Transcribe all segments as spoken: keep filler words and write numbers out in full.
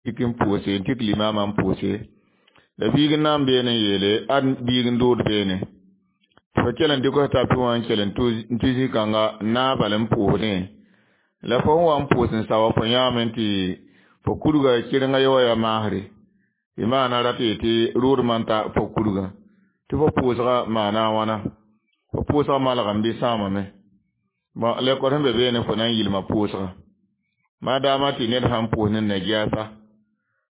Tik n pʋʋse n tik limaamã n pʋʋse la biig n na n beene n yeele ad biig n dood beene tɩ fo kell n dɩk f tapi wã n kell n tʋ zĩ-kãnga n naag bal n pʋʋsdẽ la fo sẽn wa n pʋʋs n sa wa fo yãame tɩ fo kurga kɩrenga ye wa yaa maasre tɩ maana rat yetɩ rʋʋdmã n ta fo kurgã tɩ fo pʋʋsgã maana a wãna fo pʋʋsgã malgame bɩ sãamame bõn lekor sẽn be beene fo na n yilma pʋʋsgã maadaama tɩ ned sãn pʋʋs ne najaasa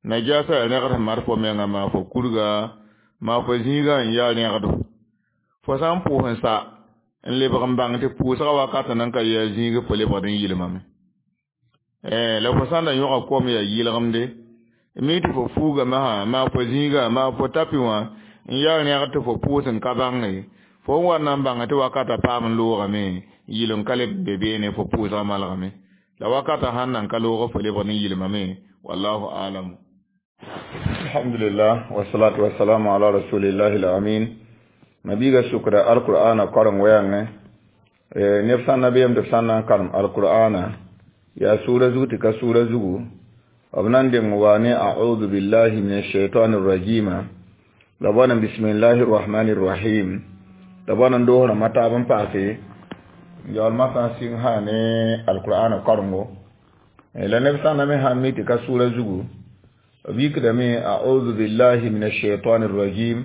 najaasa yaa rẽgd sẽn mat fo menga maa fo kurga maa fo zĩigã n yaa rẽgdo fo sã n pʋʋs n sa n lebg n bãng tɩ pʋʋsgã wakat nan ka yaa zĩig fo lebgd n yilmame la fo sã n da yõga kom yaa yɩlgemde mi tɩ fo fuugame sã maa fo zĩigã maa fo tapi wã n yaa rẽgd tɩ fo pʋʋs n ka bãnge fo n wa n na n bãnga tɩ wakata paam n loogame yɩl n ka leb n be beene fo pʋʋsgã malgame la wakata sãn nan ka loog fo lebgd n yilmame wallahu alamu alhamdulillah wassalatu wassalamu ala rasulillahi alamin mabiga sukra alqur'ana korong wɛɛngẽ neb sã n na beem tɩ b sã n na n karem alqur'ana yaa sʋʋra zug tɩ ka sʋʋra zugu b na n deng wa ne audu billahi min ashaitani rajima la bõna bismillahi rrahmani rrahim la bõna n doos rãmbã taab n paase yaool masã sɩng sã ne alqur'ana korengo la neb sã n na me sãn mi tɩ ka sʋʋra zugu b yikdame audu billahi min ashaitani rrajim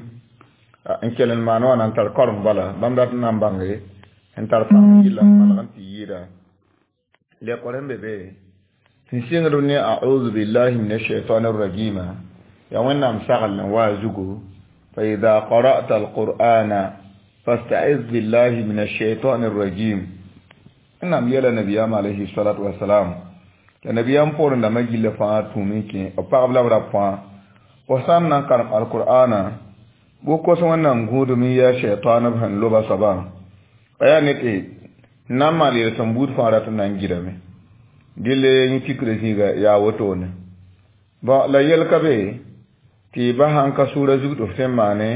n kell n maan wã na n tar koreng bala bãmb dat n na n bãnge n tar pãng yɩlla n malg n tɩ yɩɩda lekor sẽn be be sẽn sɩngd ne audu billahi min ashaitani rrajima yaa wẽnnaam sagl n wa a zugu fa ida qara'ta alqur'ana fasta'iz billahi min ashaitani rrajim wẽnnaam yeela nabiyaam alayhi salatu wasalam la nabiyaam poorẽ dãmbã gilla fãa tũum n kẽ b pagb la b rab fãa fo sã n na n karem alqur'ana bʋ kos wẽnnaam gũudum n yaa shaitan b sẽn loba soabã a yaa ne tɩ n na n maan yel-sõm buud fãa rat n na n gɩdame dɩl yẽ tikra zĩiga yaa wotone bõn la yel ka be tɩ ba sãn ka sʋʋra zug tɩ f tõe n maane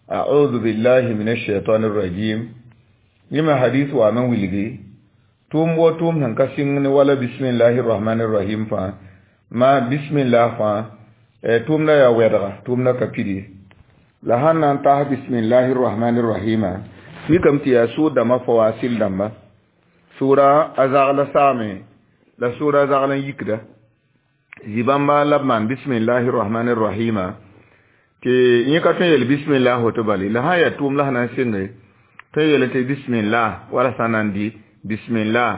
audu billahi min ashaitani rrajim yẽ me hadis waame n wilgi tʋʋm wo tʋʋm sẽn ka sɩng ne wala bismillahi rrahmani rrahim fãa ma bismillah fãa tʋʋmda yaa wɛdga tʋʋmda ka pid ye la sãn na n tas bismillahi rrahmani rrahima mikame tɩ yaa sʋʋr dãmbã fawasil dãmba sʋʋra a zagla saame la sʋʋra a zagl n yikda zĩ-bãmba la b maan bismillahi rrahmani rrahima tɩ yẽ ka tõe n yel bismillah woto bale la sã n yaa tʋʋm la sẽn na n sɩnge tõe n yel tɩ bismillah wala sã na n dɩ bismillah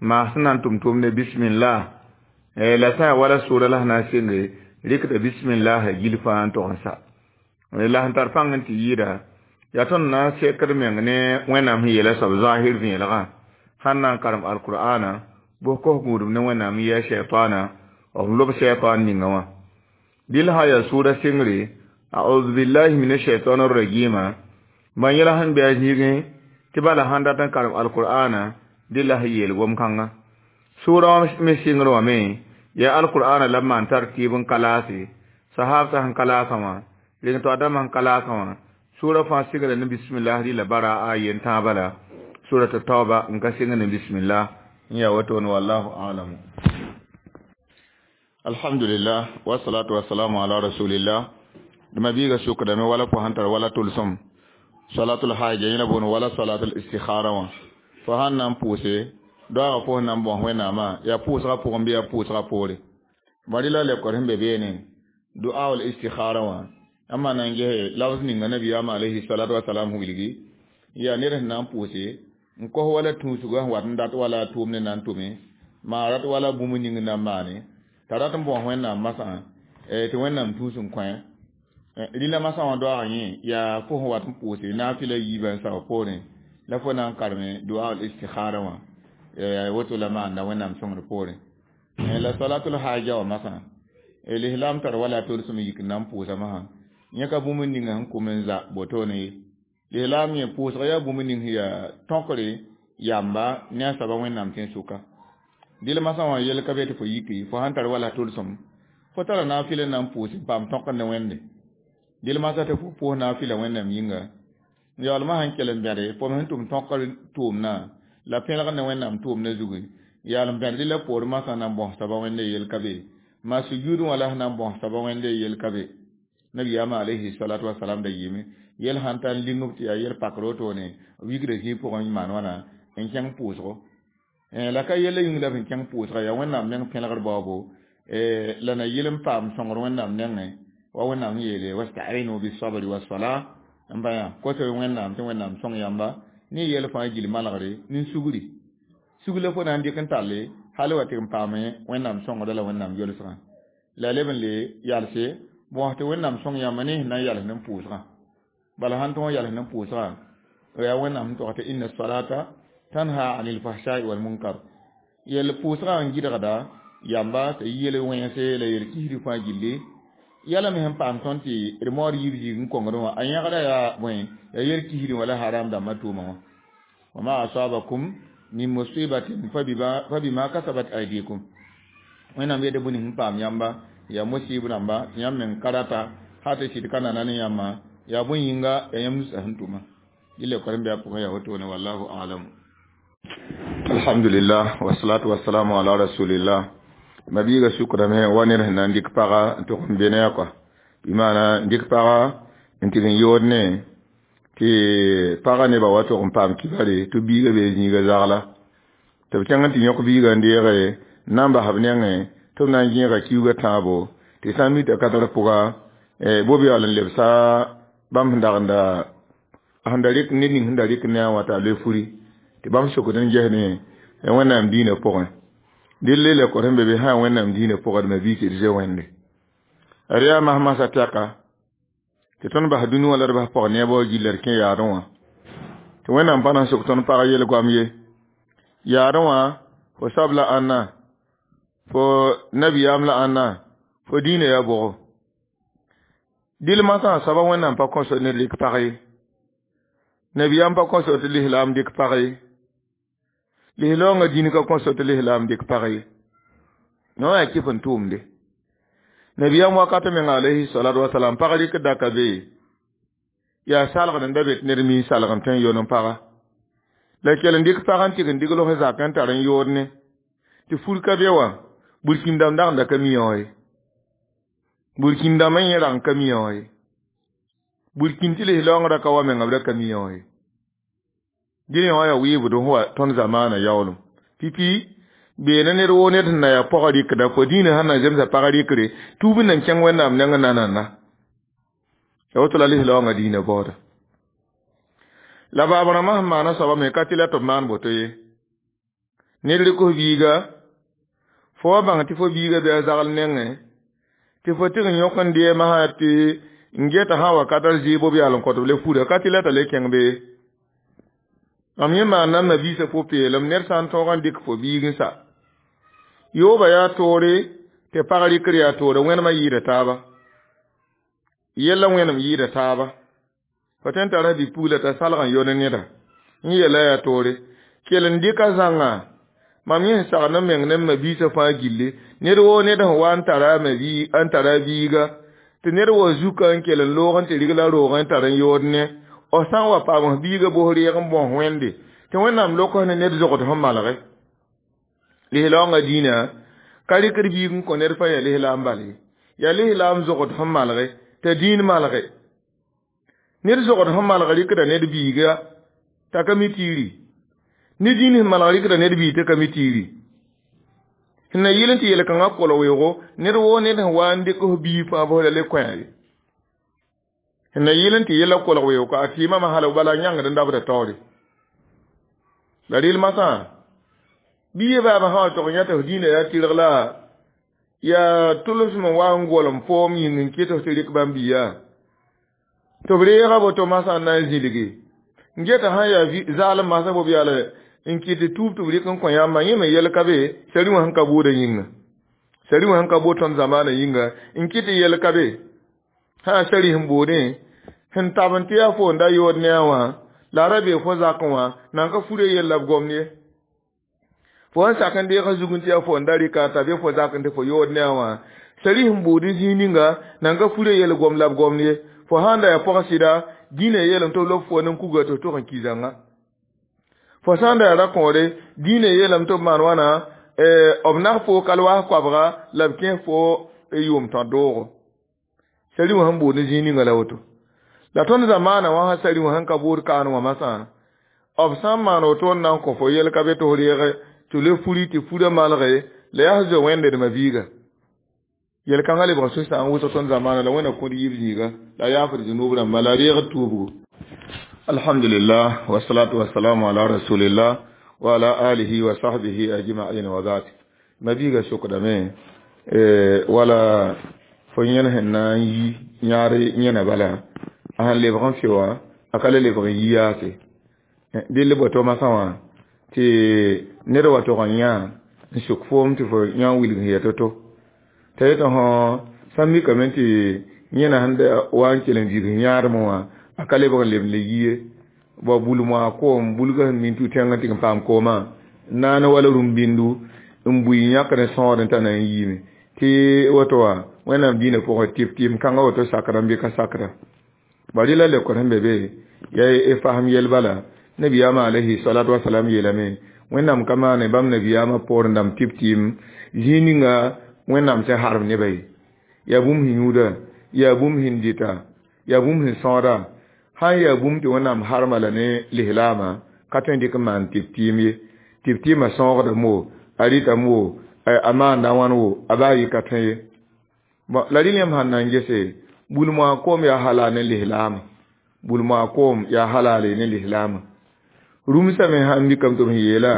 maa sẽn na n tʋm tʋʋmde bismillah la sã n yaa wala sʋʋra la sẽn na n sɩnge rɩkda bismillah gil fãa n tog n sa la sẽn tar pãng n tɩ yɩɩda yaa tõnd na n sekd meng ne wẽnnaam sẽn yeela soab zahir vẽelgã sãn na n karem alqur'ana bʋs kos gũudum ne wẽnnaam n yaa shɛtaana b lob shɛtaan ninga wã dɩl sã yaa sʋʋra sɩngre audu billahi min ashaitani rrajima bãn yɛla sẽn bɩ a zĩigẽ tɩ bala sãn dat n karem alqur'ana dɩ la sẽn yeel gom-kãnga sʋʋra wã me sɩngr wã me yaa alqur'ana la b maan tar tɩɩb n ka laase sahabsã sẽn ka laasã wã reng to adama sẽn ka laasã wã sʋʋra fãa sɩngra ne bismillah rɩla bara a yen tãabã la surat tauba n ka sɩng ne bismillah n yaa wotone wallahu alamu alhamdulillah wasalatu wasalamu ala rasulillah dama biiga sukdame wala fo sãn tar wala tʋlsem salatul haja yẽla boon wala salatul istikhara wã fo sãn na n pʋʋse doaagã pʋs na n bõs wẽnnaamã yaa pʋʋsgã pʋgẽ bɩ yaa pʋʋsgã poore bari la lebkor sẽn be beene du'a istikhara wã n maan na n gese labs ninga nabiyaam alayhi salatu wasalam wilgi yaa ned sẽn na n pʋʋse n kos wala tũusgã sẽn wat n dat wala a tʋʋmd na n tʋme maa rat wala bũmb ning na n maane t'a rat n bõs wẽnnaam masã tɩ wẽnnaam tũus n kõ rɩla masã wã doaagã yẽ yaa fo sẽn wat n pʋʋse naafɩla yiibã n sao poorẽ la fo na n kareme du'a istikhara wã woto la maanda wẽnnaam sõngr poorẽ la salatul haja wã masã lislam tar wala tolsem yik n na n pʋʋsa masã yẽ ka bũmb ninga sẽn kom n za botone ye lislaam yẽ pʋʋsg yaa bũmb ning sẽn yaa tõkre yamba ne a soaba wẽnnaam tẽn-sʋka dɩl masã wã yel ka be tɩ fo yiki fo sãn tar wala tʋlsem fo tara naafɩl n na n pʋʋs n paam tõkr ne wẽnde dɩl masã tɩ fo pʋʋs naafɩla wẽnnaam yĩnga yaoolmã sẽn kell n bẽde fo sẽn tʋm tõkr tʋʋmdã la pẽlg ne wẽnnaam tʋʋmdã zugu yaal n bẽd la poor masã na n bõs soaba wẽnde yel ka be Ma sujudu wala sẽn na n bõs soaba wẽnde yel ka be. Nabiyaamã alayhi salatu wasalam da yɩɩme yel sãn tar ling b tɩ yaa yel pakr wotone wigrã zĩig pʋgẽ n maan wãna n kẽng pʋʋsgo. La ka yella yĩng la b sẽn kẽng pʋʋsga yaa Wẽnnaam neng pẽlgr baoobo la na yɩl n paam sõngr Wẽnnaam nengẽ wa Wẽnnaam sẽn yeele wastainu bisabri wasala n pa yã kos Wẽnnaam tɩ Wẽnnaam sõng yãmba ne yɛl fãa gill malgre ne sugri sug la fo na n dɩk n talle hal wa tɩ n paame Wẽnnaam sõngrã la Wẽnnaam yolsgã la leb n le yalse bõs tɩ Wẽnnaam sõng yãmba ne sẽn na n yals ne pʋʋsgã bala sãn tõog n yals ne pʋʋsgã yaa Wẽnnaam sẽn tog tɩ inna salata tanha anil fahshai wal munkar yel pʋʋsgã n gɩdgda yamba tɩ yel wẽnse la yel kisri fãa gilli yɛla me sẽn paam tõnd tɩ d maood yib zĩig n kongdẽ wã a yẽgda yaa bõe yaa yel kisri wã la haram dãmbã tʋʋma wã wa ma asabakum min musibatin fa bima kasabat aydikum Wẽnnaam yeta bũmb sẽn paam yãmba yaa musib rãmba tɩ yãmb meng karata hal tɩ sɩd ka nana ne yãmba yaa bõe yĩnga yaa yãmb nusã sẽn tʋma dɩla karen-biã pʋgẽ yaa wotone wallahu alam. Alhamdulillah wasalatu wasalamu ala rasulillah. Mabiiga sukrame wa ned sẽn na n dɩk paga n tʋg n be ne a kɔa bɩ maana n dɩk paga n tɩg n yood ne tɩ paga nebã wa tʋg n paam kibare tɩ biiga bee zĩiga zagla tɩ b kẽng n tɩ yõk biiga n deege n na n bas b nengẽ tɩ b na n gẽega kiuugã tãabo tɩ sã n mi t'a ka tar pʋga bo-beool n lebsa bãmb sẽn dagenda sẽn da rɩk ned ning sẽn da rɩk ne a wã t'a loe furi tɩ bãmb sokd n ges ne Wẽnnaam diinã pʋgẽ dɩl la kõt n be be sã Wẽnnaam diinã pʋgẽ d ma-biis d zoe wẽnde d yaa mas-masã tɛka tɩ tõnd bas dũni wã la d bas pɔg neebã wã gilla d kẽ yaadẽ wã tɩ Wẽnnaam pa na n sok tõnd pag yel-goam ye yaadẽ wã fo soab la ãnna fo nabiyaam la ãnna fo diinã yaa bʋgo dɩl masã soaba Wẽnnaam pa kõso ned rɩk pag ye nabiyaam pa kõso tɩ lislaam dɩk pag ye lislaoongã dĩn ka kõso tɩ lislaam dɩk pag ye no yaa kɩf n tʋʋmde nabiyaam wakat meng alayhi salatu wasalam pag rɩk daka be yaa salgd n da be tɩ ned mi salg n tõe n yon n paga la kell n dɩk pag n tɩg n dig los zak n tar n yood ne tɩ fur ka be wã burkĩn-dãmb dagenda ka mi wã ye burkĩn-dãmbã yẽ rag n ka mi wã ye burkĩn tɩ lislaoongã ka wa menga b ra ka mi wã ye dẽne wã yaa wɩɩbd sẽn wa tõnd zamaana yaoolem pipi beene ned woo ned sẽn na yaa pɔgã rɩkda fo dĩinã sẽn na zemsa pag rɩkre tuub n nan kẽng Wẽnnaam nengẽ nanana ya woto la lislaoongã dĩinã baooda la baab rãmbã sẽn maana soaba me ka tɩ la tɩ b maan boto ye ned rɩk f biiga fo wa bãng tɩ fo biiga bɩ a zagl nengẽ tɩ fo tɩg n yõk n deemã sã tɩ n geta sã wakat d zɩɩb b yaal n kõt b le fura ka tɩ la t'a le kẽng bee mam yẽ maanda n mabiisã pʋ-peelem ned sã n tõog n dɩk fo biig n sa yooba yaa toore tɩ pag rɩkr yaa toore wẽnemã yɩɩda taaba yella wẽnem yɩɩda taaba fo tõe n tara bi-pugla t'a salg n yone neda n yella yaa toore kell n dɩka zãnga mam yẽ sẽn sagd n meng ne m mabiisã fãa gilli ned woo ned sẽn wa n tara n tara biiga tɩ ned wa zuka n kell n loog n tɩ rigla roog n tar n yood ne f sã n wa paam f biiga bos reeg n bõs wẽnde tɩ Wẽnnaam lok ne ned zogd sẽn malge lislaoongã dĩinã ka rɩkd biig n kõ ned fãa yaa lislaam bal ye yaa lislaam zogd sẽn malge t'a dĩin malge ned zogd sẽn malg rɩkda ned biiga t'a ka mi tiiri ne dĩin sẽn malg rɩkda ned biig t'a ka mi tiiri sẽn na yɩl n tɩ yel-kãngã kol weoogo ned woo ned sẽn wa n dɩk f biig fãa bos la le kõ ye sẽn na yɩl n tɩ yella kolg weoog ka a tɩɩmã hal bala yãngd n dabda taoore la rɩl masã bɩ ye baabã sã wa tog n yã tɩ f dĩinã yaa tɩrg la yaa tʋlsem n wa n golem foom yĩng n kɩt f tɩ rɩk bãmb biiga tɩ b reega boto masã n na n zĩlgi n geta sã n yaa zaalem masã bo b yaala n kɩt tɩ tuub tɩ b rɩk n kõ yãmbã yẽ me yɛl ka be sari wã sẽn ka bʋʋda yĩnga sari wã sẽn ka bood tõnd zamaanã yĩnga n kɩt tɩ yɛl ka be sã sari sẽn boodẽ sẽn tab n tɩ yaa fo n da yood ne a wã la a ra bee fo zakẽ wã nan ka fure yella b gomd ye fo sẽn sak n deeg zug n tɩ yaa fo n da rɩka t'a be fo zak n tɩ fo yood ne a wã sari sẽn bood zĩig ninga nan ka fure yel gom la b gomd ye fo sãn da yaa pɔg sɩda dĩinã yeelame tɩ b lob fo nen kuga tɩ f tog n ki zãnga fo sãn da yaa ra-kõore dĩinã yeelame tɩ b maan wãna b nas fo kalwaas koabga la b kẽes fo yʋʋm tõ doogo sari wã sẽn bood ne zĩig ninga la woto la tõnd zamaana wã sã sari wã sẽn ka bood kaan wã masã b sã n maan woto n na n kõ fo yɛl ka be tɩ f reege tɩ le furi tɩ furã malge la yaa zoe wẽnde d mabiiga yɛl kãngã lebg sũ-sãam wʋsg tõnd zamaana la wẽnna kõd yiib zĩiga la yaafd zũnub rãmba la reegd tuubgo alhamdulillah wasalatu wasalamu ala rasulillah wa ala alihi wa sahbihi ajma'in wa ba'd mabiiga sokdame wala fo yẽn sẽn na n yi yãad yẽna bala a sẽn lebg n fɩ wã a ka le lebg n yi yaase dɩl boto masã wã tɩ ned wa tog n yã n suk foom tɩ fo yã n wilg sẽn ya to-to t'a yetɩ fõ sã n mikame tɩ yẽna sẽn wa n kell n vig yãadmẽ wã a ka lebg n leb n le yi ye ba bulmã koom bulga sẽn min tũ tẽngã tɩ n paam koomã naane wala rũm-bĩndu n bui yãkd n sõod n ta na n yiime tɩ woto wã wẽnnaam dĩinã pʋgẽ tɩp tɩɩm kãngã woto sakra n bɩ ka sakra bari la leokr sẽn be be yaa y fasem yɛl bala nabiyaamã alayhi salatu wasalam yeelame wẽnnaam ka maane bãmb nabiyaamã poor n dãmb tɩp tɩɩm zĩig ninga wẽnnaam sẽn harb nebã ye yaa bũmb sẽn yũuda yaa bũmb sẽn dɩta yaa bũmb sẽn sõoda sã n yaa bũmb tɩ wẽnnaam harma la ne lislaamã ka tõe n dɩk n maan tɩp tɩɩm ye tɩp tɩɩmã sõogdame wo a rɩtame wo a maanda wãn wo a baa yɩ ka tõe ye bon la rɩl yãmb sãn na n gese bulmã koom yaa halal ne lislaamã bulmã koom yaa halale ne lislaamã rũmsã me sãn mikame tɩ b sẽn yeela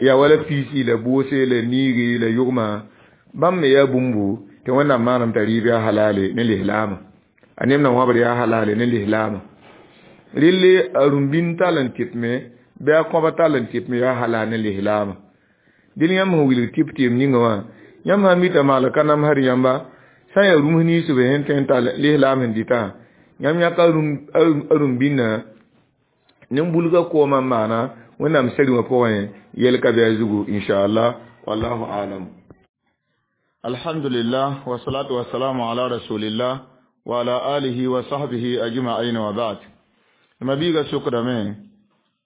yaa wala piisi la boose la niigi la yʋgmã bãmb me yaa bũmbu tɩ wẽnnaam maanam t'a rɩɩb yaa halale ne lislaamã a neb na wãbr yaa halale ne lislaamã relle a rũm-bĩnd tall n tɩtme bɩ a kõba tall n tɩtme yaa halal ne lislaamã dɩl yãmb sẽn wilg tɩp tɩɩm ninga wã yãmb sã n mita maal ka namsd yãmba sã n yaa rũms ninsb sẽn tõe n tall lislaam sẽn dɩtã yãmb yãka a rũm-bĩndã nin-bulgã koomã n maana wẽnnaam sari wã pʋgẽ yɛl ka bɩ a zugu inchallah wallahu alam alhamdulillah wasalatu wasalamu ala rasulillah wa ala alihi wa sahbihi ajma'in wa ba'd mabiiga sokdame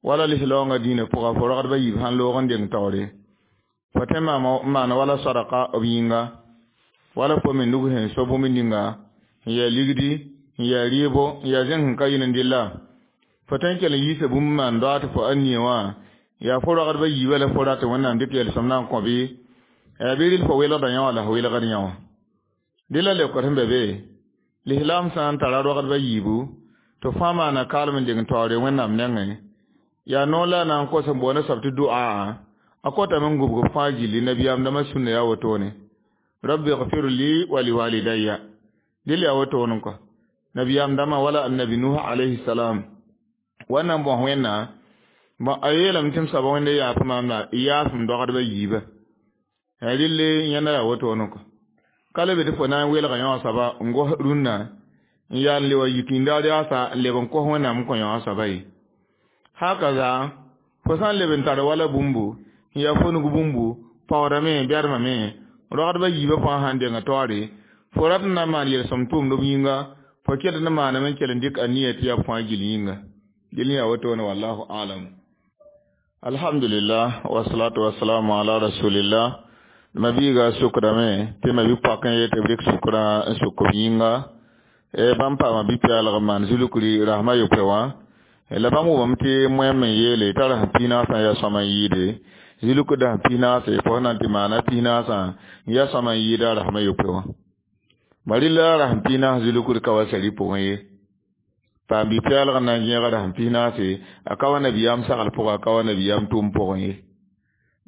wala lislaoongã dĩinã pʋga fo ragdbã yiib sãn loog n deng taoore fo tõe n maana wala sadaka b yĩnga wala fo me nug sẽn so bũmb ninga n yaa ligdi n yaa rɩɩbo n yaa zẽng sẽn ka yɩl n dɩlla fo tõe n kell n yiisa bũmb n maan doa tɩ fo a nie wã yaa fo ragdbã yiibã la fo rat wẽnnaam dɩk yɛlsem na n kõ bɩ yaa bɩ rɩl fo welgda yã wã la fo welgd yã wã dɩ la leokd sẽn be be lislaam sã n tara ragdbã yiibu tɩ fãa maana kaalem n deng taoore wẽnnaam nengẽ yaa noor la a na n kos n boond soab tɩ du'a a kotame n gũbg fãa gilli nabiyaam dãmbã sũnna yaa wotone rabbi gfir li wa liwalidayya dɩl yaa wotone kɔ nabiyaam dãmbã wala annabi nuh alayhi salam wãnna n bõs wẽnna bõ a yeelame tɩ m soaba wẽnde yaaf maam la yaafem dɔgdbã yiibã rɩlle yẽnda yaa wotone kɔ ka le be tɩ fo na n welga yã wã soaba n gos rũnnã n yaa n le wa yik yĩndaar yaasa n leb n kos wẽnnaam n kõ yã wã soaba ye hakaza fo sã n leb n tar wala bũmbu n yaa fo nug bũmbu paoodame bɛdmame ragdbã yiibã fãa sãn denga taoore fo rat n na n maan yelsem tʋʋmd b yĩnga fo ket n maaname n kell n dɩk a nia tɩ yaa fãa gill yĩnga dɩl yaa wotone wallahu alam alhamdulillah wasalatu wasalamu ala rasulillah mabiiga sukdame tɩ mabi-poak n yetɩ b rɩk sukrã n suk b yĩnga bãmb paama bi-pɛɛlg n maan zulukri rasmã yopoe wã la bãmb wʋmame tɩ moɛm n yeele t'a rasem pis-naasã yaa sõma n yɩɩde zuluk dasem pis-naase fo sẽn na n tɩ maana pis-naasã n yaa sõma n yɩɩda a rasmã yopoe wã bari la rasem pis-naas zulukr ka wa sari pʋgẽ ye paam bi-pɛɛlg n na n gẽega rasem pis-naase a ka wa nabiyaam sagl pʋgã a ka wa nabiyaam tʋʋm pʋgẽ ye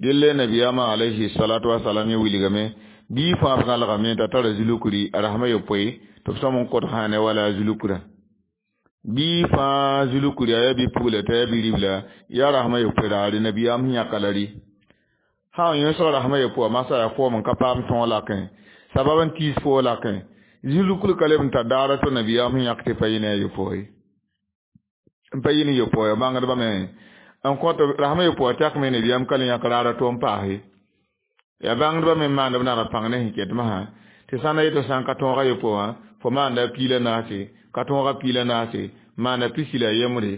dɩlle nabiyaamã alayhi salatu wasalam yẽ wilgame bii fãa b gãlgame t'a tara zulukri a rasmã yopoe tɩ b sõm n kõt sã ne wala a zulukrã bii fãa zulukri a yaa bi-pugla t'a yaa bi-ribla yaa rasmã yopoe raare nabiyaam sẽn yãka la rɩ sã n yõsg rasmã yopoe wã masã yaa foom n ka paam tõog lakẽ sabab n tiis foo lakẽ zulukr ka leb n tar daara tɩ nabiyaam sẽn yãk tɩ pa yɩ ne a yopoe n pa yɩ ne yopoe bãngdbã me n kõt rasmã yopoe tɛkme nabiyaam ka le yãk raara to n paase yaa bãngdbã me maand b nag pãng ne sẽn ket masã tɩ sã na yetɩ sã n ka tõoga yopoe wã fo maanda piila naase ka tõoga piila naase maanda pisi la yembre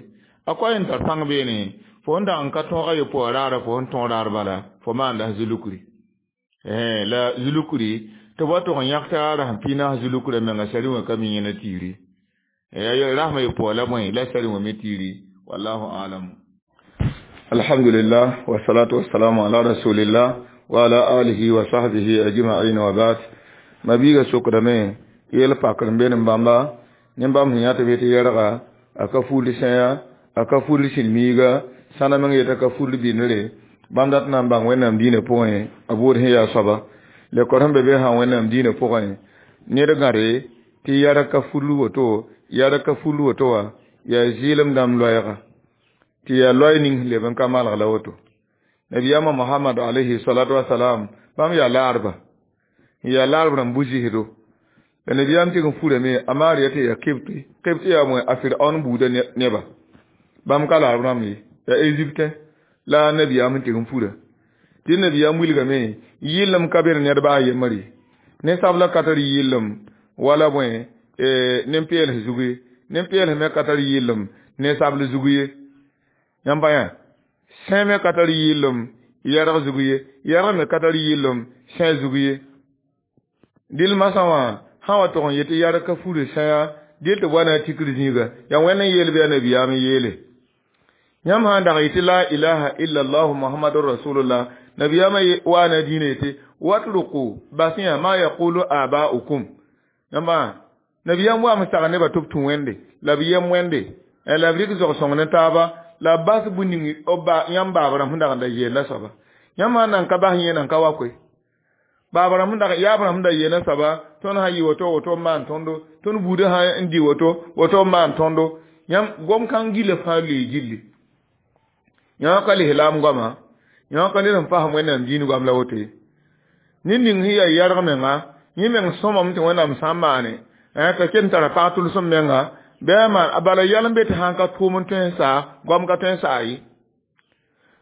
a koa n tar pãng beene Fo n dag n ka tõog a yopoa raara fo sẽn tõog raar bala fo maanda zulukri. Eh la zulukri tɩ b wa tog n yãk t'a rasem piig naas zulukrã menga sari wã ka mi yẽna tiiri. Ya rasma yopoa la bõe la sari wã me tiiri wallahu alam. Alhamdulillah wa salatu wa salamu ala rasulillah wa ala alihi wa sahbihi ajma'in wa ba'd. Mabiga sokdame yel pakr n be n bãmba ne bãmb sẽn yã tɩ b yetɩ yɛrga a ka fuldi sẽya a ka fuldi sĩn-miiga sãna meng yeta ka fuldi bɩndre bãmb dat na n bãng wẽnnaam diinã pʋgẽ a buud sẽn yaa soaba lekor sẽn be be sã wẽnnaam diinã pʋgẽ ned gãre tɩ yɛrg ka fuldi woto yɛrg ka fuldi woto wã yaa zɩɩlem dãmb loɛɛga tɩ yaa loɛɛ ning sẽn leb n ka malg la woto nabiyaamã mohamad alayhi salatu wasalam bãmb yaa laarba n yaa laarb rãmb bu-zɩsdo la nabiyaam tɩg n furame a maariya tɩ yaa kebte kebte yaa bõe a firaon buudã neba bãmb ka laarb rãmb ye yaa Egypte la nabiyaam sẽn tɩg n fura tɩ nabiyaam wilgame yɩllem ka be ned baa yembr ye ninsabla ka tar yɩllem wala bõe nin-peels zug ye nin-peels me ka tar yɩllem ninsabl zug ye yãmb pa yã sẽ me ka tar yɩllem yɛrg zug ye yɛrg me ka tar yɩllem sẽ zug ye dɩl masã wã sã wa tog n yetɩ yɛrg ka furi sẽya dɩl tɩ b wa na tikr zĩiga yaa wẽnd n yeel bɩ yaa nabiyaam n yeele yãmb sã n dag yetɩ la ilaha illallah muhammadur rasulullah nabiyaamã waana dĩinã yetɩ watruku bas yã ma yaqulu aba'ukum yãmba nabiyaam waam sag nebã tɩ b tũ wẽnde la b yem wẽnde la b rɩk zog-sõng ne taaba la b bas bũmb ning yãmb baab rãmb sẽn dag n da yeelã soaba yãmb sã n nan ka bas yẽ nan ka wa koe baab rãmb sẽn dag yaab rãmb sẽn da yeelã soaba tõnd sã yɩ woto woto n maan tõndo tõnd buudã sã n dɩ woto woto n maan tõndo yãmb gom kãng gila fãa loee gilli yã ka lislaam goama yã ka ned n fasem wẽnnaam diin goam la woto ye ned ning sẽn yaa yɛrg menga yẽ meng sõmame tɩ wẽnnaam sã n maane t'a ket n tara pag tʋlsem menga bɩ a maan bala yɛl n be tɩ sãn ka tʋʋm n tõe n saa goam ka tõe n saa ye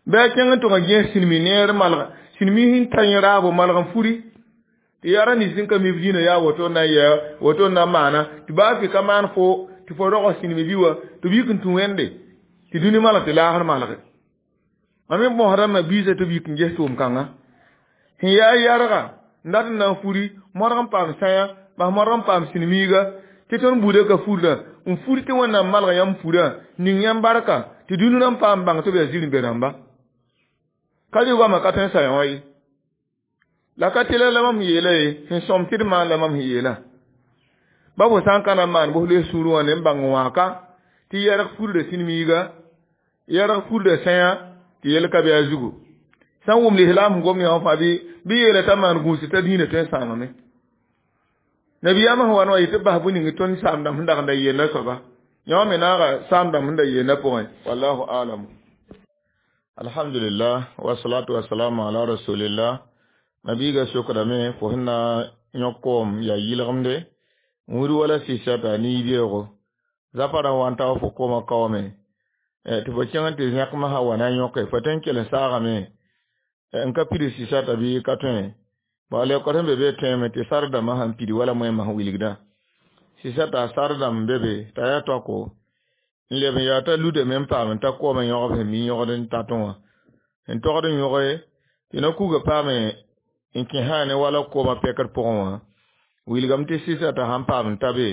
bɩ a kẽng n tʋg n gẽes sĩnmi neer malg sĩnmi sẽn ta yẽ raabo malg n furi tɩ yaa nins sẽn ka mi b diinã yaa woto na n yɛ woto n na n maana tɩ baa fɩ ka maan fo tɩ fo rog sĩnmi bɩ wa tɩ b yik n tũ wẽnde tɩ dũni malg tɩ laasr malge mam me bõsdãmbã biisã tɩ b yik n ges tʋʋm kãnga sẽn yaa yɛrga n dat n na n furi modg n paam sãyã bas modg n paam sĩnmiiga tɩ tõnd buudã ka furda n furi tɩ wẽnnaam malg yãmb furã ning yãmb barka tɩ dũni rãmb paam bãng tɩ b yaa zir-n-be rãmba ka rɩ goamã ka tõe n sa yã wã ye la ka tɩla la mam yeela ye sẽn sõm tɩ d maan la mam sẽn yeelã ba fo sã n ka na n maan bos loes sũurẽ wã ne n bãng wãaka tɩ yɛrg furda sĩnmiiga yɛrg furda sẽyã tɩ yel ka be a zugu sã n wʋm lislaam sẽn gom yã wã fãa bɩ bɩ yeela t'a maan gũus t'a diinã tõe n sãamame nabiyaamã sẽn wa n wa yetɩ bas bũ ning tõnd saam-dãmb sẽn dag n da yeelã soaba yã wã me naaga saam-dãmb sẽn da yeelã pʋgẽ wallahu alam. Alhamdulillah wa salatu wa salamu ala rasulillah. Mabiiga sokdame fo sẽn na yõk koom yaa yɩlgemde wũud wala sɩsata ne yibeoogo zapa rã wa n ta fo koomã kaoome tɩ fo kẽng tɩ zẽkmã sã wa na n yõke fo tõe n kell n saagame n ka pid sɩsata bɩ ka tõe bala lekor sẽn be be tõeme tɩ sar dãmbã sãn pid wala moẽmã sẽn wilgdã sɩsata sar dãmb n be be t'a yaa toako n leb n yaa t'a ludame n paam n ta koomã yõgb sẽn mi yõgd n tatẽ wã n togd n yõge tɩ na kuga paame n kẽ sã ne wala koomã pɛkr pʋgẽ wã wilgame tɩ sɩsata sãn paam n ta be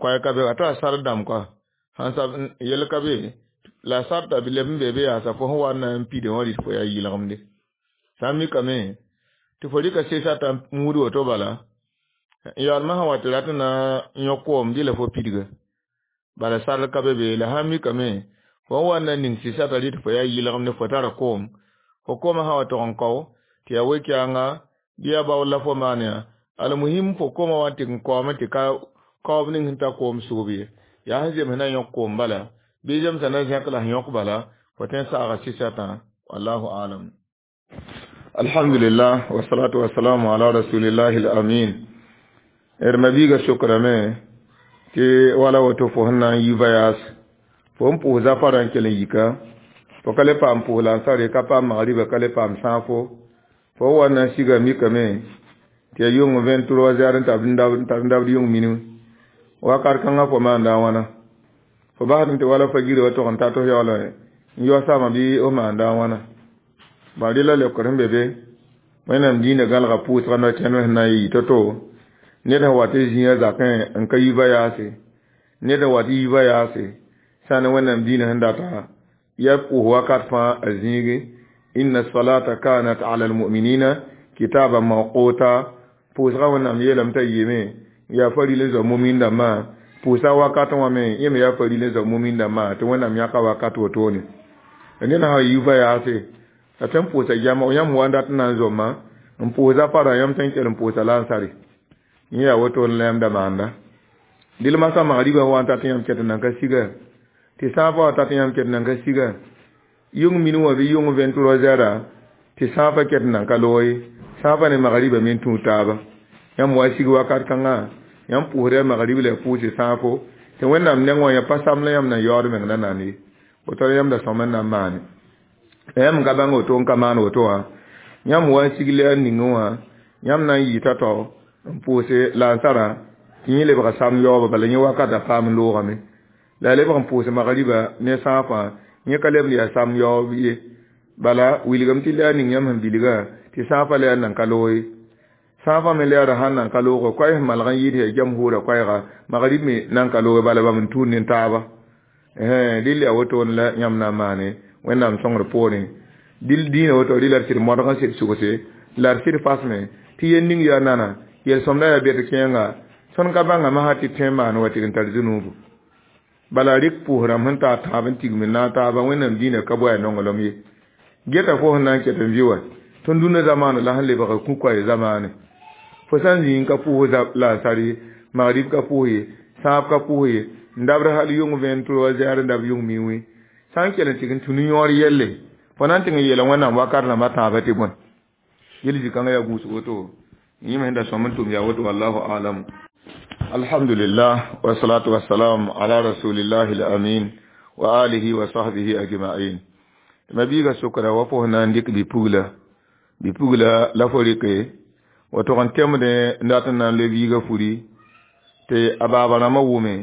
koɛɛ ka be a t'a sar dãmb koa sãn sab yel ka be la sarta bɩ leb n be be yaasa fo sẽn wa n na n pide wã rɩt fo yaa yɩlgemde sã n mikame tɩ fo rɩka sɩsata muud woto bala yaalmã sã wa tɩ rat n na yõk koom dɩ la fo pidga bala sar ka be be la sã n mikame fo n wa n na ning sɩsata rɩt fo yaa yɩlgemde fo tara koom fo koomã sã wa tog n kao tɩ yaa we-kɛɛnga bɩ yaa baool la fo maan yaa almuhim fo koomã wa n tɩg n kaoome tɩ ka kaoob ning sẽn ta koom sʋʋb ye yaa sẽn zems na yõk koom bala bɩ zemsã na zẽk la sẽn yõk bala fo tõe n saaga sɩsatã wallahu alam. Alhamdulillah wa salatu wa salamu ala rasulillahi al-amin. D mabiiga sokrame tɩ wala woto fo sẽn na n yi voyage fo n pʋʋs zafara n kell n yika fo ka le paam pʋʋs lansare ka paam magriba ka le paam sãafo fo wa n na n siga mikame tɩ yaa yʋng vingt-trois heures n tar n dabd yʋng minu wakat kãngã fo maanda a wãna fo basd tɩ wala fa gira wa tog n ta tɩ f yaool N yaoosame bɩ f maanda a wãna bã rela leokd sẽn be be wẽnnaam dĩinã gãlga pʋʋsga no-kẽnd sẽn na n yɩ to-to ned sẽn wat n zĩiga zakẽ n ka yiba yaase ned sẽn wat yiibã yaase sã ne wẽnnaam dĩinã sẽn data ya pʋʋs wakat fãa a zĩigi inna salata kanat ala almuminina kitaban mawquta pʋʋsga wẽnnaam yeelame t'a yɩɩme yaa faril n zoa mumin dãmbã pʋʋsa wakat wã me yẽ me yaa faril n zoa mumin dãmbã tɩ wẽnnaam yãka wakat wotone ned sã yiibã yaase la tõe n pʋʋsa jama yãmb wa n dat n na n zomã n pʋʋsa fara yãmb tõe n kell n pʋʋsa lansare yẽ yaa woto n la yãmb da maanda dɩl masã magribã wa n tat yãmb ket n nan ka siga tɩ sãafã wa tat yãmb ket n nan ka siga yʋng min wã bɩ yʋng vingt-trois heures tɩ sãafã ket n nan ka loog ye sãafã ne magribã me n tũud taaba yãmb wa sig wakat kãngã yãmb pʋʋsda magrib la ya pʋʋsɩ sãafo tɩ wẽnnaam neng wã ya pa sam la yãmb na yaood meng la nand ye woto la yãmb da sõm n na n maane la yãmb n ka bãng woto n ka maan woto wã yãmb wa n sig la ningẽ wã yãmb na n yɩ tao-tao n pʋʋse lansarã tɩ yẽ lebga sam yaooba bala yẽ wakata paam n loogame la a lebg n pʋʋs magriba ne sãafã yẽ ka lebd yaa sam yaoob ye bala wilgame tɩ la ning yãmb sẽn bilga tɩ sãafã la yaa nan ka loog ye sãafã me la yaa sãn nan ka loogo koɛɛ sẽn malg n yɩɩd yaa jamhuurã koɛɛga magrib me nan ka looge bala bãmb n tũud ne taaba dɩl yaa wotone la yãmb na n maane wẽnnaam sõngr poorẽ dɩl dĩinã woto rɩ la d sɩd modg n sɩd sugse la d sɩd fasme tɩ yel ning yaa nana yel-sõmda yaa bed kẽenga tõnd ka bãnga masã tɩ tõe n maan wa tɩg n tar zũnuubu bala rɩk pʋʋs rãmb sẽn taa tãab n tigm n naag taaba wẽnnaam dĩinã ka boa nonglem ye geta fo sẽn na n ket n vɩ wa tõnd dũnã zamaana la sẽn lebga kũ-koɛɛ zamaane fo sã n zĩig n ka pʋʋs lansar ye magrib ka pʋʋs ye sãab ka pʋʋs ye n dabd hal yʋng vingt-trois heures n dab yʋng miwẽ sã n kell n tɩg n tũ ne-yõor yelle fo na n tɩg n yeela wẽnnaam wakat rãmbã tãabã tɩ bõe yel zĩ-kãngã yaa gũusg woto yẽ me sẽn da sõm n tʋm yaa woto wallahu alam alhamdulillah wasalatu wasalam ala rasulillahi alamin wa alihi wa sahbihi ajma'in ma biiga sokra wa fo na n dɩk bi-pugla bi-pugla la fo rɩke wa tog n temdẽ n dat n na n loe biiga furi tɩ a baaba rãmbã wʋme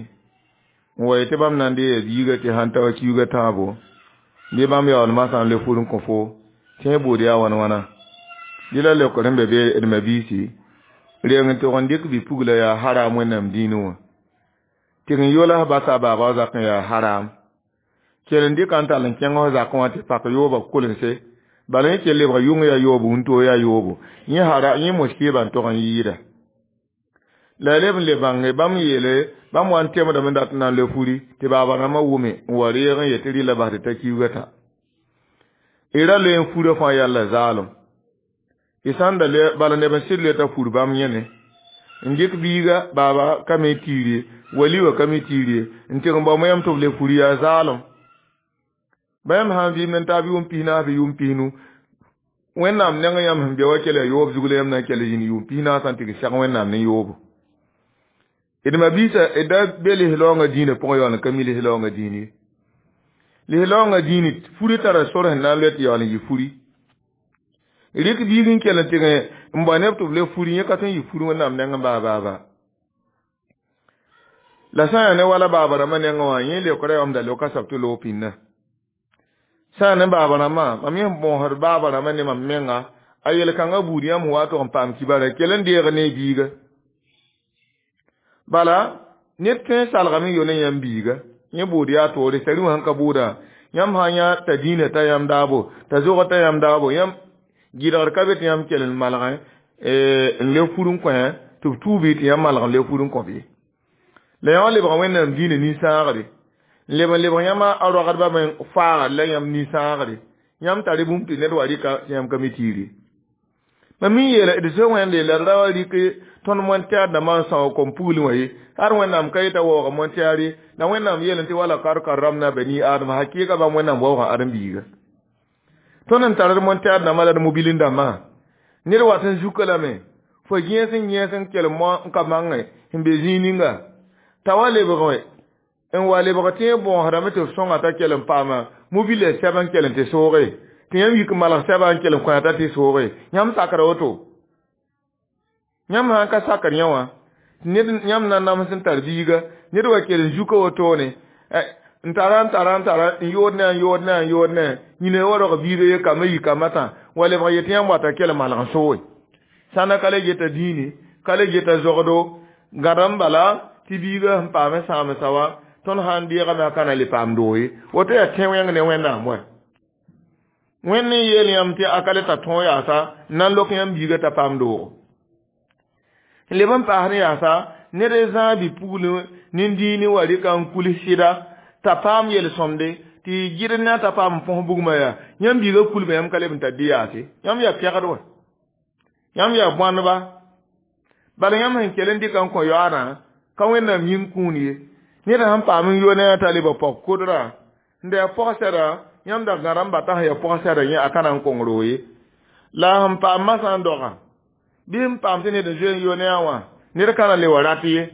n wa yetɩ bãmb na n dee biiga tɩ sãn ta wa kiuga tãabo bɩ bãmb yaool masã n loe fur n kõ fo tɩ yẽ buud yaa wãn wãna dɩ la leokd sẽn be be d mabiisi reng n tog n dɩk bi-pugla yaa haram wẽnnaam dĩinẽ wã tɩg n yolas basa a baaba wã zakẽ yaa haram kell n dɩka n tall n kẽng f zakẽ wã tɩ pak yooba kolense bala yẽ kell lebga yʋng yaa yoobo wũntoo yaa yoobo yẽ hara yẽ moskiibã n tog n yɩɩda la leb n le bãnge bãmb yeele bãmb wa n temdame n dat n na n loe furi tɩ baaba rãmbã wʋme n wa reeg n yet tɩ rɩla bas tɩ ta kiuga ta y ra loe n furã fãa yalla zaalem y sãn da bala neb n sɩd loe t'a fur bãmb yẽne n dɩk biiga baaba ka me tiir ye wali wã ka me tiir ye n tɩg n bao yãmb tɩ b le fur yaa zaalem ba yãmb sã n vɩɩmd n taab yʋʋm pis-naas bɩ yʋʋm pisnu wẽnnaam neng yãmb sẽn be wa kell yaa yoob zug la yãmb na n kell zĩnd yʋʋm pis-naasã n tɩg sɛg wẽnnaam ne yoobo d mabiisa d da be lislaoongã dĩinã pʋgẽ yaool n ka mi lislaoongã dĩin ye lislaoongã dĩini furi tara sor sẽn na n loe tɩ yaool n yɩ furi rɩk biig n kell n tɩg n bao neb tɩ b le furi yẽ ka tõe n yɩ furi wẽnnaam nengẽ baa baa baa la sã n yaa ne wala baaba rãmbã nengẽ wã yẽ leokra yaa da loka sab tɩ loog pĩnda sã n yaa ne baaba rãmbã mam yẽ bõosd baaba rãmbã ne mam menga a yel-kãngã buud yãmb wa tog n paam kibara kell n deeg ne biiga bala ned tõe n salgame n yo ne yãmb biiga yẽ buud yaa toore sari wã sẽn ka buudã yãmb sã n yã t'a dĩinã t'a yãmb daabo t'a zog t'a yãmb daabo yãmb gɩdgr ka be tɩ yãmb kell n malgẽ n le fur n kõ tɩ b tuubi tɩ yãmb malg n le fur n kõ bɩ la yã wã lebga wẽnnaam dĩinã nin-sãagre n leb n lebg yãmb a roagdbã me faagr la yãmb nin-sãagre yãmb tar bũmb tɩ ned wa rɩka tɩ yãmb ka mi tiir ye mam mi yeela d zoe wẽnde la d ra wa rɩk tõnd montɛɛr dãmbã n são kom pugl wã ye ar wẽnnaam ka yeta waooga montɛɛr ye la wẽnnaam yeel tɩ wala kad karramna bani adama hakɩɩga bãmb wẽnnaam waoogã ãdem-biiga tõnd n tar d montɛɛr dãmbã la d mobilin dãmbã ned wat n zuka lame fo gẽes n yẽes n kell mo n ka mangẽ sẽn be zĩig ninga t'a wa lebg n wa lebg tɩ yẽ bõosdame tɩ f sõnga t'a kell n paama mobila sɛb n kell n tɩ sooge tɩ yãmb yik malg sɛba n kell n kõ t'a tɩ sooge yãmb sakra woto yãmb sã n ka sakr yẽ wã ned yãmb na nams n tar biiga ned wa kell n zuka wotone N tara n tara n tara n yood ne n yood ne n yood ne yĩne wa rog biiga ye kambã yi kambã tã wa lebg yet yãmb wata kell malg n sooe sãnda ka le geta dĩini ka le geta zogdo gãd n bala tɩ biiga sẽn paam sãamsa wã tõnd sã n deegame a ka na le paam doog ye woto yaa tẽ wẽng ne Wẽnnaam wa Wẽnd n yeel yãmb tɩ a ka le tar tõog yaasa n na n lok yãmb biiga t'a paam doogo n leb n paas ne yaasa ned n zãag bi-pugl nin-dĩini wa rɩka n kuls sɩda t'a paam yel-sõmde tɩ gɩd ne t'a paam n põs bugmã yaa yãmb biiga kulmã yãmb ka leb n tar dɩ yaase yãmb yaa pɛgd wã yãmb yaa bõaneba bala yãmb sẽn kell n dɩka n kõ yoaadã ka Wẽnnaam yĩng kũun ye ned sẽn paam n yo ne t'a leba pɔg kodrã n da yaa pɔg-sɛda yãmb da gãd n bata sẽn yaa pɔg-sɛda yẽ a ka na n kong roog ye la sẽn paam masã n doga bɩ n paam tɩ ned n zoe n yo ne a wã ned ka na le wa rat ye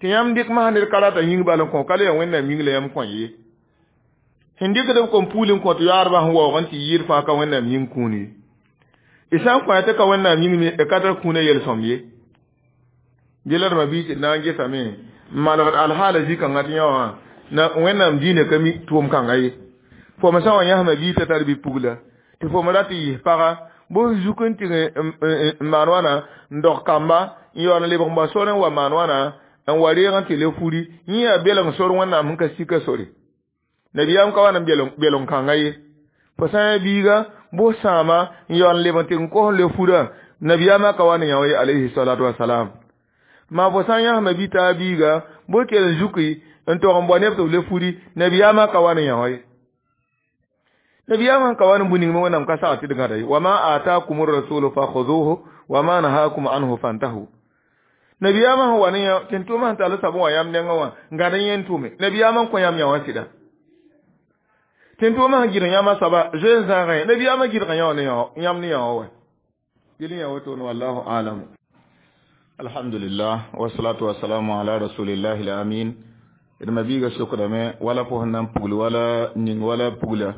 tɩ yãmb dɩk masã ned ka rata yĩng bal n kõ ka le yaa Wẽnnaam yĩng la yãmb kõ ye sẽn dɩkd b kom puul n kõt yoaadbã sẽn waoog n tɩ yɩɩd fãa ka Wẽnnaam yĩng kũun ye y sã n kõ tɩ ka Wẽnnaam yĩng me y ka tar kũunã yel-sõmd ye dɩ la d ma-biis tɩ d na n gesame n malgd alhaala zĩ-kãngã tɩ yã wã na Wẽnnaam diinã ka mi tʋʋm kãnga ye fo me sã n wa yãsma biig t'a tar bi-pugla tɩ fo me rat n yis paga bõs zuk n tɩg n maan wãna n dog kamba n yaool n lebg n bao sor n wa maan wãna n wa reeg n tɩ le furi yẽ yaa belg sor Wẽnnaam sẽn ka sika sore nabiyaam ka wa n belg kãnga ye fo sã n yaa biiga bõs sãama n yaool n lebg n tɩ n kos n le furã nabiyaamã ka wa ne yã ye alayhi salatu wasalam maa fo sã n yãsma bi taa biiga bõe kell n zuki n tog n bao neb tɩ b le furi nabiyaamã ka wa ne yã ye nabiyaamã ka wa ne bũ ning me Wẽnnaam ka sag tɩ d gãda ye wama atakum rasulu fakhuduhu wama nahakum anhu fantahu nabiyaamã sẽn wa ne yã tɩ n tʋm sẽn tall soab n wa yãmb nengẽ wã n gãd n yẽn tʋme nabiyaamã n kõ yãmb yã wã sɩda tɩ n tʋʋmã sẽn gɩdg yãmb soaba zoe n zãagẽ nabiyaamã gɩdg yã wã ne yãmb ne yã wã wa dɩl yã wotone wallahu alam. Alhamdulillah wasalatu wasalamu ala rasulillahi alamin d ma biiga sokdame wala fo sẽn na n pugl wala ning wala pugla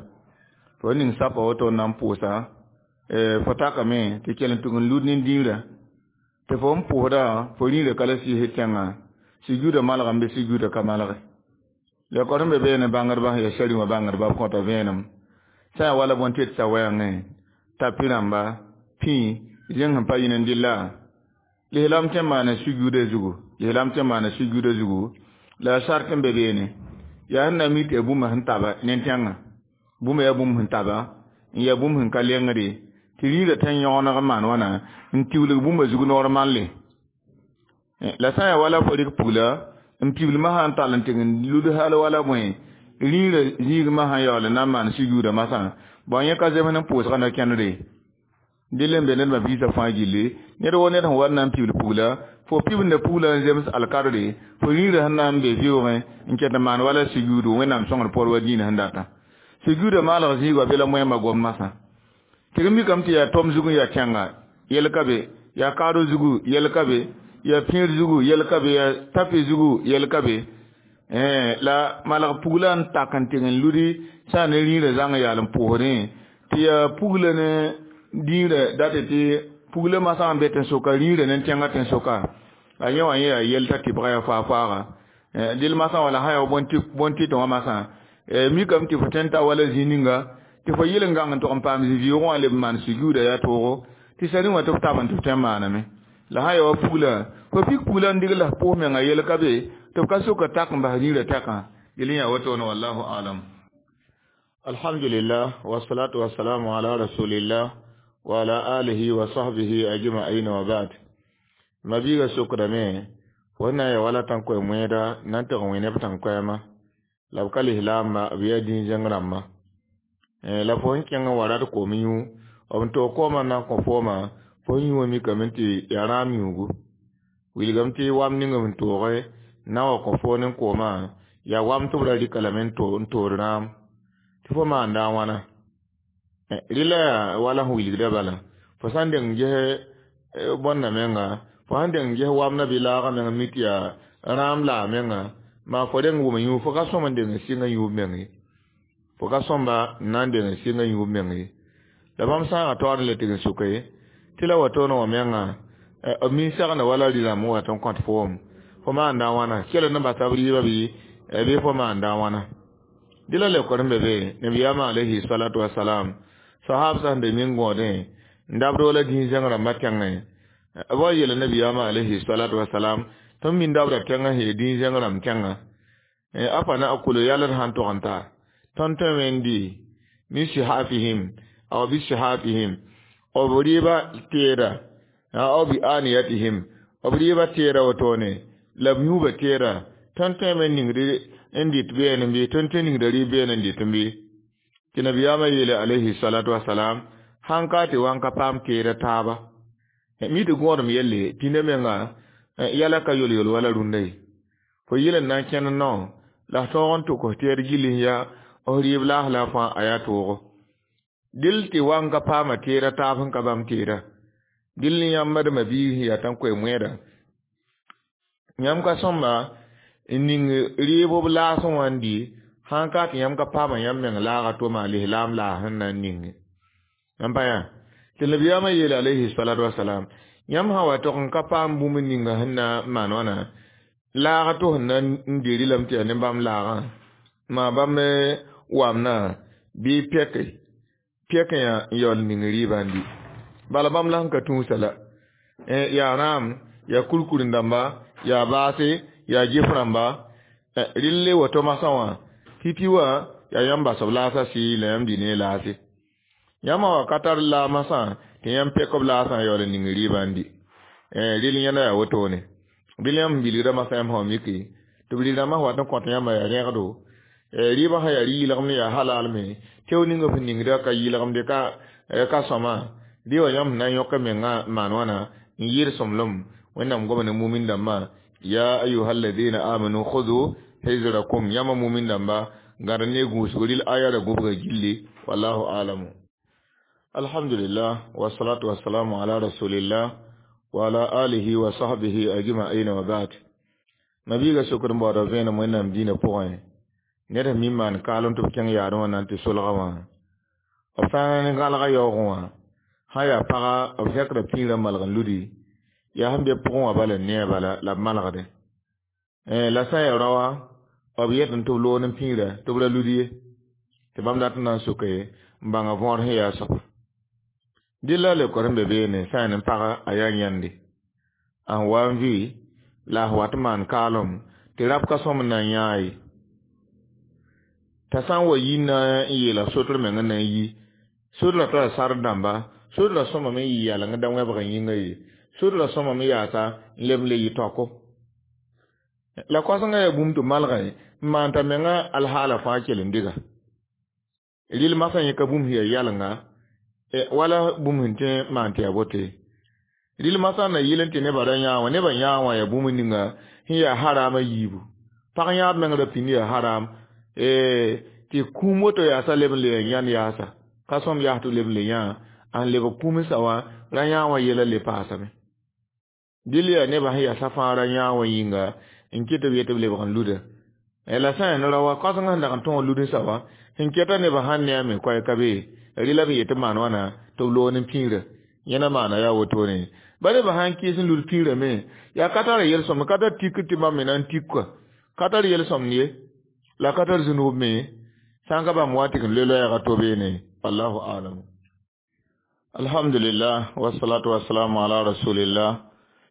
fo ning sapa woto n na n pʋʋsa fo takame tɩ kell n tʋg n lud nin-dĩirã tɩ fo n pʋʋsda fo rĩirã ka la sɩɩs tẽngã sujuuda malgame bɩ sujuuda ka malge la kor sẽn be beene bãngdbã sẽn yaa sari wã bãngdbã b kõta vẽenem sã yaa wala bõn tɩ t'a wɛɛngẽ tapi rãmba pĩ zẽng sẽn pa yĩn n dɩlla lislaam tẽ n maana sujuuda zugu lislaam tẽ n maana sujuuda zugu la sart n be beene yaa sẽn na mi tɩ yaa bũmb sẽn taba ne tẽngã bũmb yaa bũmb sẽn taba n yaa bũmb sẽn ka lengde tɩ rĩirã tẽ n yõgeneg n maan wãna n tiwlg bũmba zug normalle la sã n yaa wala fo rɩk pugla n piblmã sã n tall n tɩg n lud hal wala bõe rĩirã zĩigmã sã n yaool n na n maan sujuudã masã bõe yẽ ka zems n pʋʋsgã na kẽndre dɩl n be ned ma-biisã fãa gilli ned wo ned sẽn wa n na n pibl pugla fo pibnda pugla n zems alkadre fo rĩirã sẽn na n be vɩʋʋgẽ n ket n maan wala sujuudu Wẽnnaam sõngr pɔr wa dĩinã sẽn data sujuudã maalg zĩig wa bela moẽmba gom masã tɩ g mikame tɩ yaa tom zug n yaa tẽnga yɛl ka be yaa kaado zugu yɛl ka be yaa pĩir zugu yɛl ka be yaa tapi zugu yɛl ka be la malg pugla n tak n tɩg n ludi sã n ne rĩirã zãng yaal n pʋʋsdẽ tɩ yaa pugla ne dĩirã date tɩ pugla masã n be tẽn-soka rĩirã ne tẽngã tẽn-soka a yẽ wã yẽ yaa yɛl t'a tɩbga yaa faa-faaga dɩl masã wala sã yaa bõn-tɩtẽ wã masã mikame tɩ fo tõe n ta wala zĩ ninga tɩ fo yɩl n gãng n tog n paam zĩ-vɩʋʋgẽ wã leb n maan sujuuda yaa toogo tɩ sari wã tɩ f tab n tɩ f tõe n maaname la sã yaa wa pugla fo pik pugla n dɩg la f pʋʋs menga yɛl ka be tɩ b ka soka tak n bas rĩirã tɛkã dɩl n yaa wotone wallahu alam. Alhamdulillah wasalatu wasalamu ala rasulillah wa ala alihi wa sahbihi ajma'in wa ba'd ma biiga sokdame fo na ya wala tãn koɛ wẽeda na n tɩg n wẽ neb tãn-koɛɛmã la b ka lislaamba b yaa dĩn-zẽng rãmbã la fo sẽn kẽng n wa rat koom yũ b n toog koomã n na n kõ fooma fo sẽn yũ wã mikame tɩ yaa rãam yũugu wilgame tɩ wam ning b n tooge n na n wa kõ foo ne koomã yaa wam tɩ b ra rɩka lame n tood rãam tɩ fo maanda a wãna rɩla yaa wala sẽn wilgda bala fo sã n deng ges bõnna menga fo sãn deng ges wamdã bɩ laagã meng mi tɩ yaa rãam laa menga maa fo reng wʋm yũ fo ka sõm n deng n sɩng yũub meng ye fo ka sõmba n na n deng n sɩng yũub meng ye la bãmb sãaga taoor n le tɩg n soke tɩ la wa toone wã menga b min-segenda wala rɩ-rãmb n wat n kõt foom fo maanda a wãna kell n basa b rɩɩbã bɩ Bɩ fo maanda wãna dɩ la leokd n be be nabiyaamã alayhi salatu wasalam sahab sã n be min gõodẽ n dabd wala dĩig-zẽng rãmbã tẽngẽ b wa yeela nabiyaamã alayhi salatu wasalam tõnd min dabda tẽngã sẽn yaa dĩig-zẽng rãmb tẽngã afa nakulu yalr sãn tog n ta tõnd tõeme n dɩ min sihafihim aw bi sihafihim b rɩɩba teeda aw bi aniyatihim b rɩɩba teeda wotone la b yũuba teeda tõnd tõeme n ningd n dɩt beene bɩ tõnd tõe ningda rɩɩb beene n dɩt bɩ tɩ nabiyaamã yeele alayhi salatu wasalam sãn ka tɩ wa n ka paam teeda taaba mi tɩ gõodem yelle pĩnda menga yɛla ka yol-yol wala rũndã ye fo yɩl n na n kẽnd nao la f tõog n tʋk f teed gill n yaa f rɩɩb laas la fãa a yaa toogo dɩl tɩ wa n ka paama teeda taab sẽn ka bãmb teeda dɩl yãmb d ma-biig sẽn yaa tã n koe moɛɛda yãmb ka sõmba n ning rɩɩb b laasẽ wã n dɩ sãn ka tɩ yãmb ka paama yãmb meng laaga toma lislaam laas sẽn na n ninge n pa yaa tɩ nabiyaamã yeele alayhi salatu wasalam yãmb sã wa tog n ka paam bũmb ninga sẽn na n maan wãna laaga tɩ sẽn na n dɩ rɩlame tɩ yaa ne bãmb laagã maa bãmb wamnã bɩ pɛke pɛk yã n yaool ning rɩɩbã n dɩ bala bãmb la sẽn ka tũusa la yaa rãam yaa kurkur dãmba yaa baase yaa gef rãmba rɩlle woto masã wã pipi wã yaa yãmb bas b laasã sɩ la yãmb dɩ ne laase yãmb wa ka tar laag masã tɩ yãmb pɛk b laasã n yaool n ning rɩɩbã n dɩ rɩl yẽnda yaa wotone rɩl yãmb sẽn bilgda masã yãmb sã miki tɩ b rɩ-rãmbã sẽn wat n kõt yãmba yaa rẽgdo rɩɩbã sã yaa rɩ-yɩlgem yaa halal me teo ninga f ningda ka yɩlgemde ka ka sõma rɩ wã yãmb sẽn na n yõk mengã n maan wãna n yɩɩd sõmblem wẽnnaam goma ne mumin dãmbã ya ayuha alladina amanu khudu hizrakum yãmba mumin dãmba gãd ne gũusg rɩl aya ra gũbga gilli wallahu alamu alhamdulillah wasalatu wasalamu ala rasulillah wa ala alihi wa sahbihi ajma'in wa ba'd mabiiga sokd n baooda vẽenem wẽnnaam dĩinã pʋgẽ ned sẽn mi n maan kaalem tɩ b kẽng yaadẽ wã na n tɩ solga wã b sã n gãlga yaoogẽ wã sã yaa paga b zẽkda pĩirã malg n ludi yaa sẽn be pʋgẽ wã bala n ne a bala la b malgdẽ la sã n yaa raoã b yetẽ tɩ b loog ne pĩirã tɩ b ra lud ye tɩ bãmb dat n na n soke n bãnga võor sẽn yaa soaba dɩ la leokd sẽn be beene sã n yaa ne paga a yaa yãnde a sẽn wa n vɩ la a sẽn wat n maan kaalem tɩ rab ka sõm n na n yãa ye t'a sã n wa yi na n yeela sotr meng n na n yi sodra tara sard dãmba sodra sõmame n yɩ yaleng da wẽbg n yĩnga ye sodra sõmame yaasa n leb n le yɩ taoko la koasengã yaa bũmb tɩ malgẽ n maan t'a menga alhaala fãa kell n dɩga rɩl masã yẽ ka bũmb sẽn yaa yalenga wala bũmb sẽn tõe n maan tɩ yaa bote rɩl masã na yɩl n tɩ nebã ra yãa wã nebã yãa wã yaa bũmb ninga sẽn yaa harama yiibu pag yãab meng ra pĩnd yaa haram tɩ kũum woto yaasa leb n le yãn yaasa ka sõm yaas tɩ leb n le yãa n lebg kũumsã wã ra yãa wã yɛla le paasame dɩl yaa nebã sẽn yasa fãa ra yãa wã yĩnga n kɩ tɩ b yet b lebg n luda la sã n yaa ne rao wã koasengã sẽn dag n tõog ludensã wã sẽn kɛta nebã sãn ne a me koɛɛ ka be rɩla b yet tɩ maan wãna tɩ b loog ne pĩirã yẽna maana yaa wotone ba nebã sãn kɩɩs n lud pĩirã me yaa ka tar yel-sõm ka tar tik tɩ bãmb me na n tik kɔa ka tar yel-sõmd ye la ka tar zũnub me sã n ka bãmb wa tɩ n loe loɛɛga to beene wallahu alam alhamdulillah wasalatu wasalamu ala rasulillah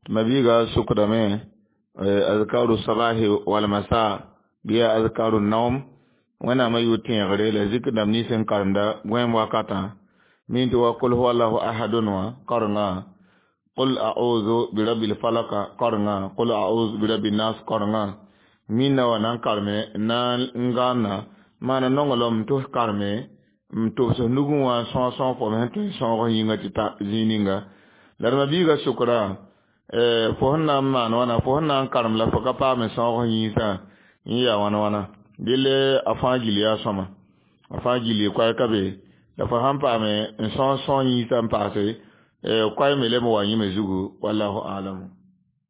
tɩ mabiiga sukdame azkaru sabahi wal masa bɩ yaa azkaru naum wẽnnaamã yʋ tẽegre la zik dãmb nins n karemda gõeem wakatã min tɩ wa kul huwallahu ahadun wã karenga qul a'udhu birabbil falaka karenga qul a'udhu birabbin nas karenga minna wa na n kareme na n gãanna maana nonglem tɩ f kareme n tʋbs nugẽ wã n sõog sõog fo sẽn tõe n sõog yĩnga tɩ ta zĩig ninga la d mabiiga sokra fo sẽn na n maan wãna fo sẽn na n karem la fo ka paam n sõog yĩnsã yẽ yaa wãna wãna dɩl a fãa gill yaa sõma a fãa gill koɛɛ ka be la fo sãn paame n sõog sõog yĩnsã n paase koɛɛ me leb n wa yẽme zugu wallahu alam.